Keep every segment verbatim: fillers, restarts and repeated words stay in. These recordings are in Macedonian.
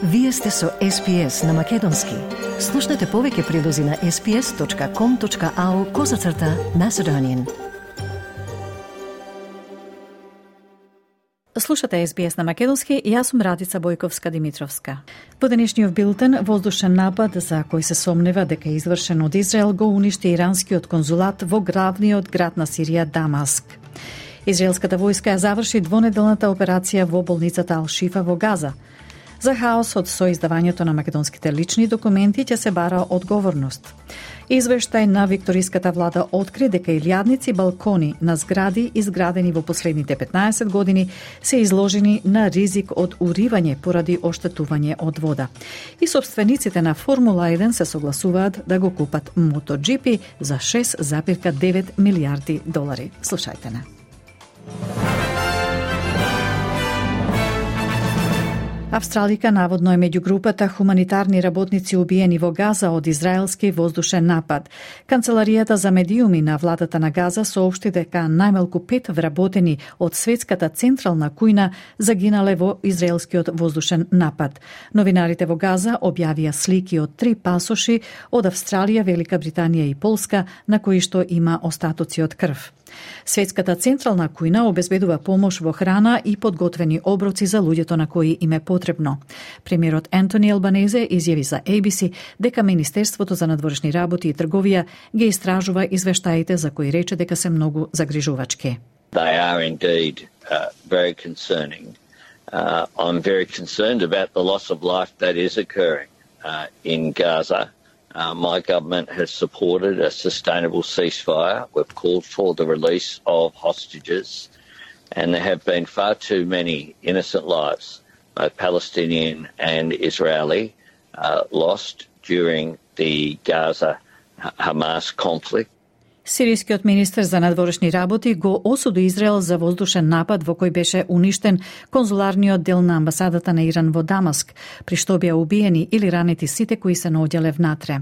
Вие сте со Ес Би Ес на Македонски. Слушнете повеќе прилози на ес би ес точка ком точка ау козацрта Macedonian. Слушате Ес Би Ес на Македонски и јас сум Радица Бојковска-Димитровска. Во денешниот билтен, воздушен напад за кој се сомнева дека е извршен од Израел го уништи иранскиот конзулат во главниот град на Сирија, Дамаск. Израелската војска ја заврши двонеделната операција во болницата Ал-Шифа во Газа. За хаосот со издавањето на македонските лични документи ќе се бара одговорност. Извештај на викториската влада откри дека илјадници балкони на згради изградени во последните петнаесет години се изложени на ризик од уривање поради оштетување од вода. И собствениците на Формула еден се согласуваат да го купат MotoGP за шест зарез девет милијарди долари. Слушајте на. Австралика наводно е меѓу групата хуманитарни работници убиени во Газа од израелски воздушен напад. Канцеларијата за медиуми на владата на Газа соопшти дека најмалку пет вработени од светската централна кујна загинале во израелскиот воздушен напад. Новинарите во Газа објавија слики од три пасоши од Австралија, Велика Британија и Полска на кои што има остатоци од крв. Светската централна кујна обезбедува помош во храна и подготвени оброци за луѓето на кои им е потребно. Премиерот Ентони Албанезе изјави за Ей Би Си дека Министерството за надворешни работи и трговија ги истражува извештаите за кои рече дека се многу загрижувачки. They are indeed uh, very concerning. Uh, I'm very concerned about the loss of life that is occurring uh, in Gaza. Uh, my government has supported a sustainable ceasefire. We've called for the release of hostages, and there have been far too many innocent lives, both Palestinian and Israeli, uh, lost during the Gaza-Hamas conflict. Сирискиот министер за надворешни работи го осуди Израел за воздушен напад во кој беше уништен конзуларниот дел на амбасадата на Иран во Дамаск, при што беа убиени или ранети сите кои се наоѓале внатре.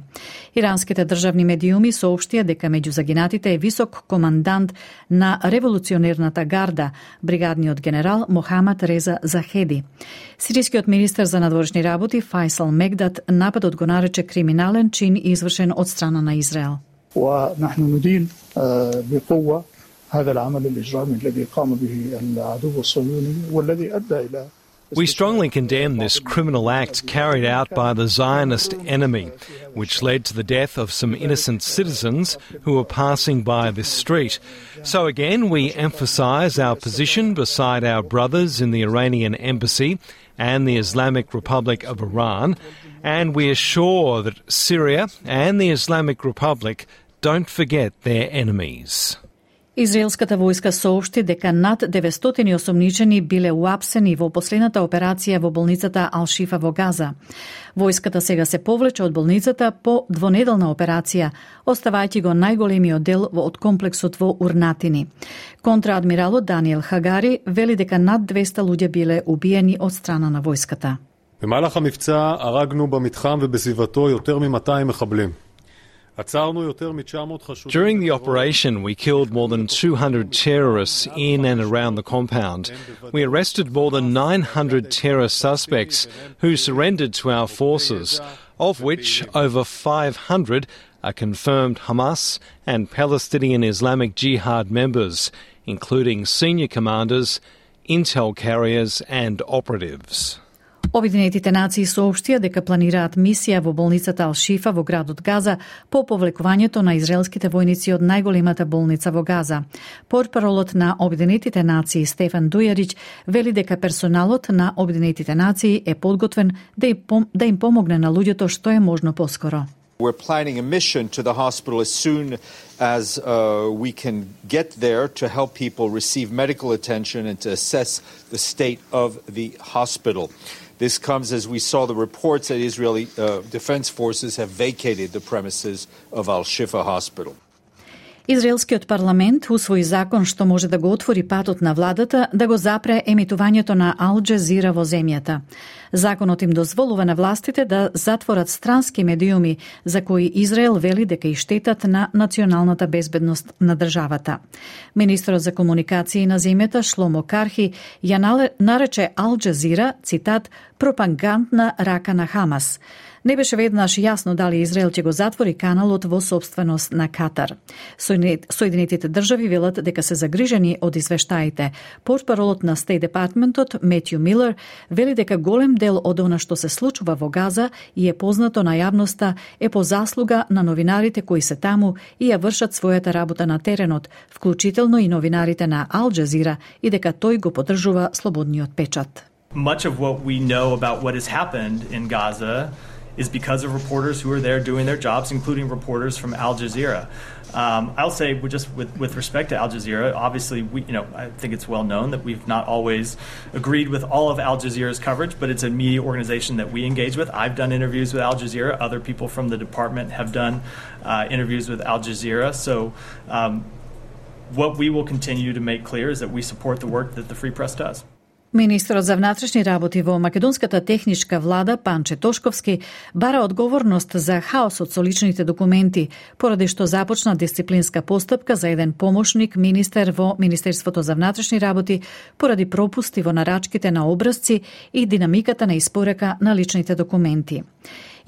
Иранските државни медиуми соопштија дека меѓу загинатите е висок командант на револуционерната гарда, бригадниот генерал Мохамад Реза Захеди. Сирискиот министер за надворешни работи Файсал Мегдат нападот го нарече криминален чин извршен од страна на Израел. ونحن ندين بقوة هذا العمل الإجرامي الذي قام به العدو الصهيوني والذي أدى إلى We strongly condemn this criminal act carried out by the Zionist enemy, which led to the death of some innocent citizens who were passing by this street. So again, we emphasise our position beside our brothers in the Iranian embassy and the Islamic Republic of Iran, and we assure that Syria and the Islamic Republic don't forget their enemies. Израелската војска соопшти дека над деветстотини осомничени биле уапсени во последната операција во болницата Ал-Шифа во Газа. Војската сега се повлече од болницата по двонеделна операција, оставајќи го најголемиот дел од комплексот во Урнатини. Контраадмиралот Даниел Хагари вели дека над двеста луѓе биле убиени од страна на војската. במהלך המבצע הרגנו במתחם ובסביבתו יותר מ-מאתיים מחבלים. During the operation, we killed more than two hundred terrorists in and around the compound. We arrested more than nine hundred terrorist suspects who surrendered to our forces, of which over five hundred are confirmed Hamas and Palestinian Islamic Jihad members, including senior commanders, intel carriers and operatives. Обединетите нации соопштија дека планираат мисија во болницата Ал-Шифа во градот Газа по повлекувањето на израелските војници од најголемата болница во Газа. Портпаролот на Обединетите нации Стефан Дујарич вели дека персоналот на Обединетите нации е подготвен да им, да им помогне на луѓето што е можно поскоро. We're planning a mission to the hospital as soon as uh, we can get there to help people receive medical attention and to assess the state of the hospital. This comes as we saw the reports that Israeli uh, defense forces have vacated the premises of Al-Shifa Hospital. Израелскиот парламент усвои закон што може да го отвори патот на владата да го запре емитувањето на Ал Джазира во земјата. Законот им дозволува на властите да затворат странски медиуми за кои Израел вели дека и штетат на националната безбедност на државата. Министерот за комуникации на земјата Шломо Кархи ја нарече Ал Джазира, цитат, пропагандна рака на Хамас. Не беше веднаш јасно дали Израел ќе го затвори каналот во собственост на Катар. Соединетите држави велат дека се загрижени од извештаите. Портпаролот на Стейт Департментот Метју Милер вели дека голем дел од она што се случува во Газа и е познато на јавноста е по заслуга на новинарите кои се таму и ја вршат својата работа на теренот, вклучително и новинарите на Ал Джазира, и дека тој го поддржува слободниот печат. Much of what we know about what has happened in Gaza is because of reporters who are there doing their jobs, including reporters from Al Jazeera. Um, I'll say, just with, with respect to Al Jazeera, obviously, we, you know, I think it's well known that we've not always agreed with all of Al Jazeera's coverage, but it's a media organization that we engage with. I've done interviews with Al Jazeera. Other people from the department have done uh, interviews with Al Jazeera. So um, what we will continue to make clear is that we support the work that the Free Press does. Министерот за внатрешни работи во македонската техничка влада Панче Тошковски бара одговорност за хаосот со личните документи, поради што започна дисциплинска постапка за еден помошник министер во Министерството за внатрешни работи поради пропусти во нарачките на образци и динамиката на испорека на личните документи.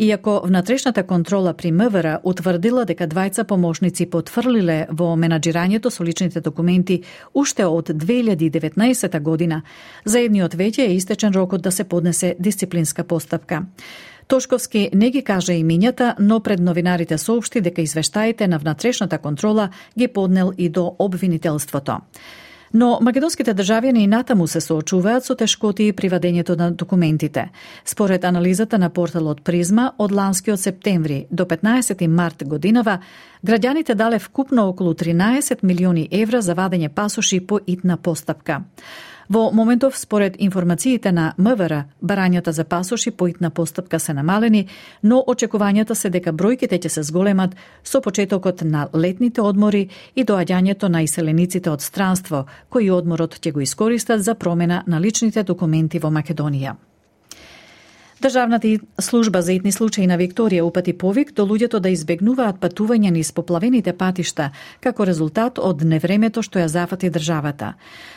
Иако внатрешната контрола при МВР утврдила дека двајца помошници потврлиле во менаџирањето со личните документи уште од две илјади и деветнаесета година, за едниот веќе е истечен рокот да се поднесе дисциплинска постапка. Тошковски не ги кажа имињата, но пред новинарите соопшти дека извештаите на внатрешната контрола ги поднел и до обвинителството. Но македонските државјани и натаму се соочуваат со тешкоти при вадењето на документите. Според анализата на порталот Призма, од ланскиот септември до петнаесети март годинава, граѓаните дале вкупно околу тринаесет милиони евра за вадење пасоши по итна постапка. Во моментов, според информациите на МВР, барањата за пасоши по итна постапка се намалени, но очекувањата се дека бројките ќе се зголемат со почетокот на летните одмори и доаѓањето на иселениците од странство, кои одморот ќе го искористат за промена на личните документи во Македонија. Државната служба за итни случаи на Викторија упати повик до луѓето да избегнуваат патување низ поплавените патишта, како резултат од невремето што ја зафати државата.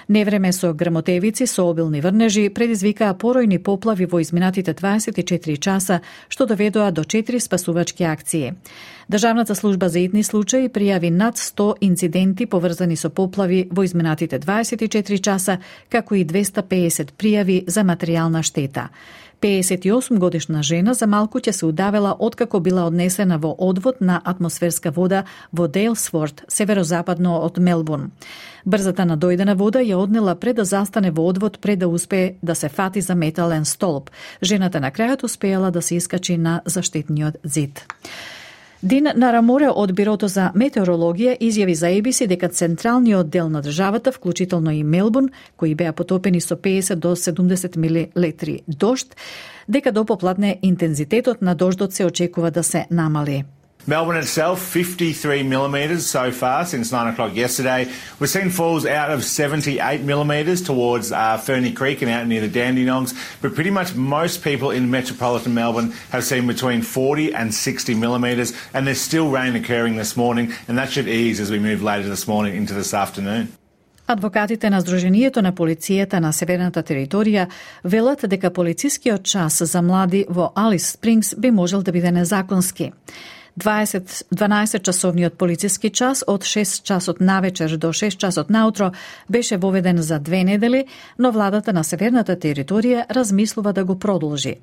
Невреме со грмотевици, со обилни врнежи, предизвикаа поројни поплави во изминатите дваесет и четири часа, што доведоа до четири спасувачки акции. Државната служба за итни случаи пријави над сто инциденти поврзани со поплави во изминатите дваесет и четири часа, како и двесте и педесет пријави за материјална штета. педесет и осум годишна жена за малку ќе се удавела откако била однесена во одвод на атмосферска вода во Дейлсворт, северозападно од Мелбурн. Брзата надојдена вода ја однела пред да застане во одвод пред да успее да се фати за метален столб. Жената на крајот успеала да се искачи на заштитниот зид. Дин Нараморе од Бирото за метеорологија изјави за Ей Би Си дека централниот дел на државата, вклучително и Мелбурн, кои беа потопени со педесет до седумдесет милилитри дожд, дека до попладне интензитетот на дождот се очекува да се намали. Melbourne itself, fifty-three millimetres so far since nine o'clock yesterday. We've seen falls out of seventy-eight millimetres towards uh, Ferny Creek and out near the Dandenongs, but pretty much most people in metropolitan Melbourne have seen between forty and sixty millimetres, and there's still rain occurring this morning, and that should ease as we move later this morning into this afternoon. Адвокатите на Сдруженијето на полицијата на Северната територија велат дека полицискиот час за млади во Алис Спрингс би можел да биде незаконски. дванаесет часовниот полициски час од шест часот навечер до шест часот наутро беше воведен за две недели, но владата на Северната територија размислува да го продолжи.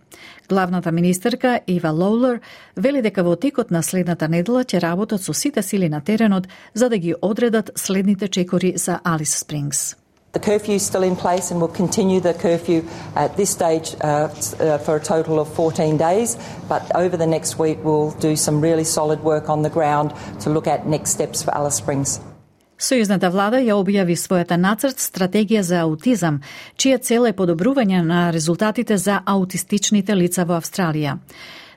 Главната министерка Ива Лоулер вели дека во текот на следната недела ќе работат со сите сили на теренот за да ги одредат следните чекори за Алис Спрингс. The curfew is still in place and we'll continue the curfew at this stage uh, uh, for a total of fourteen days, but over the next week we'll do some really solid work on the ground to look at next steps for Alice Springs. Сојузната влада ја објави својата нацрт стратегија за аутизам, чија цел е подобрување на резултатите за аутистичните лица во Австралија.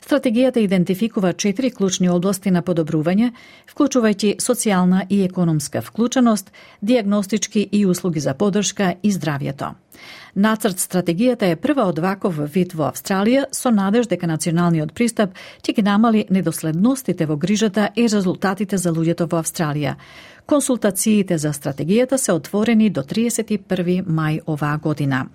Стратегијата идентификува четири клучни области на подобрување, вклучувајќи социјална и економска вклученост, дијагностички и услуги за поддршка и здравјето. Нацрт стратегијата е прва од ваков вид во Австралија со надеж дека националниот пристап ќе ги намали недоследностите во грижата и резултатите за луѓето во Австралија. Консултациите за стратегијата се отворени до триесет и први мај оваа година.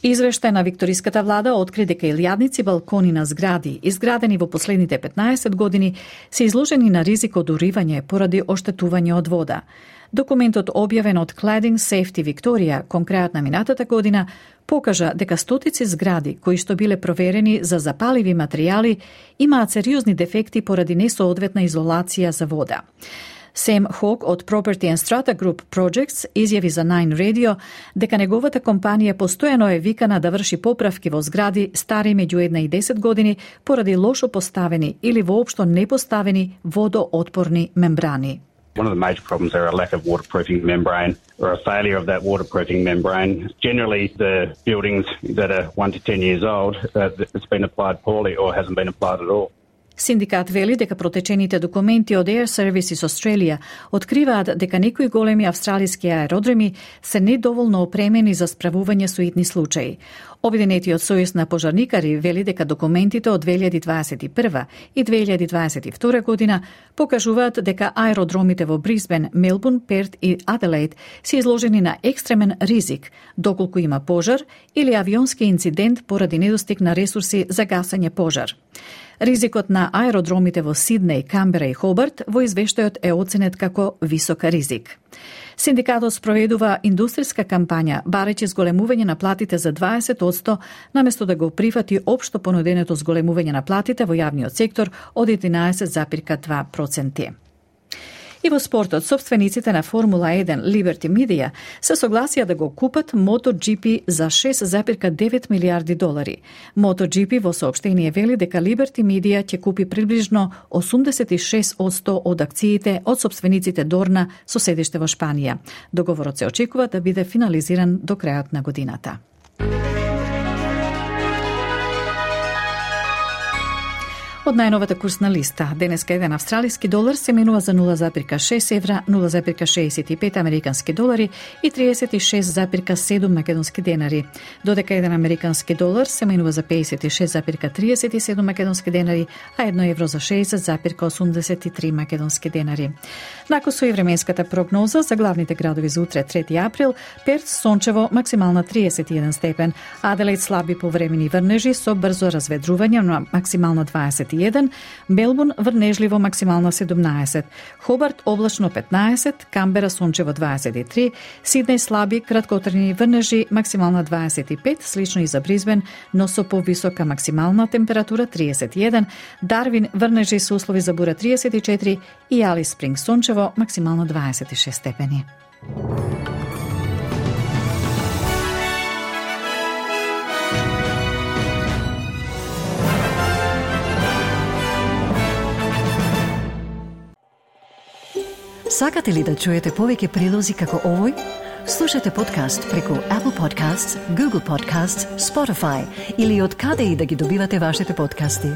Извештај на викториската влада откри дека илјадници балкони на згради, изградени во последните петнаесет години, се изложени на ризик од уривање поради оштетување од вода. Документот објавен од Cladding Safety Victoria кон крајот на минатата година покажа дека стотици згради кои што биле проверени за запаливи материјали имаат сериозни дефекти поради несоодветна изолација за вода. Сем Хок од Property and Strata Group Projects изјави за Nine Radio дека неговата компанија постојано е викана да врши поправки во згради стари меѓу една и десет години поради лошо поставени или воопшто непоставени водоотпорни мембрани. One of the major problems are a lack of waterproofing membrane or a failure of that waterproofing membrane. Generally, the buildings that are one to ten years old, uh, it's been applied poorly or hasn't been applied at all. Синдикат вели дека протечените документи од Air Services Australia откриваат дека некои големи австралиски аеродроми се недоволно опремени за справување со итни случаи. Обединетиот сојуз на пожарникари вели дека документите од две илјади дваесет и прва и две илјади дваесет и втора година покажуваат дека аеродромите во Брисбен, Мелбурн, Перт и Аделаид се изложени на екстремен ризик доколку има пожар или авионски инцидент поради недостиг на ресурси за гасење пожар. Ризикот на аеродромите во Сиднеј, Камбера и Хобарт во извештајот е оценет како висок ризик. Синдикатот спроведува индустријска кампања, барејќи зголемување на платите за дваесет одсто, наместо да го прифати општо понуденото зголемување на платите во јавниот сектор од единаесет зарез два проценти. И во спортот, собствениците на Формула еден Liberty Media се согласија да го купат MotoGP за шест зарез девет милијарди долари. MotoGP во соопштение вели дека Liberty Media ќе купи приближно осумдесет и шест одсто од акциите од собствениците Дорна со седиште во Шпанија. Договорот се очекува да биде финализиран до крајот на годината. Од најновата курсна листа, денеска еден австралиски долар се менува за нула зарез шест евра, нула зарез шеесет и пет американски долари и триесет и шест зарез седум македонски денари. Додека еден американски долар се менува за пеесет и шест зарез триесет и седум македонски денари, а едно евро за шеесет зарез осумдесет и три македонски денари. Накусо и временската прогноза за главните градови за утре трети април: Перт сончево, максимална триесет и еден степен, Аделаид слаби повремени врнежи со брзо разведрување на максимална дваесет и еден, Мелбурн врнежливо максимална седумнаесет, Хобарт облачно петнаесет, Камбера сончево дваесет и три, Сиднеј слаби краткотрени врнежи максимална дваесет и пет, слично и за Брисбен, но со повисока максимална температура триесет и еден, Дарвин врнежи со услови за бура триесет и четири и Алис Спринг сончево максимална дваесет и шест степени. Сакате ли да чуете повеќе прилози како овој? Слушате подкаст преку Apple Podcasts, Google Podcasts, Spotify или од каде и да ги добивате вашите подкасти.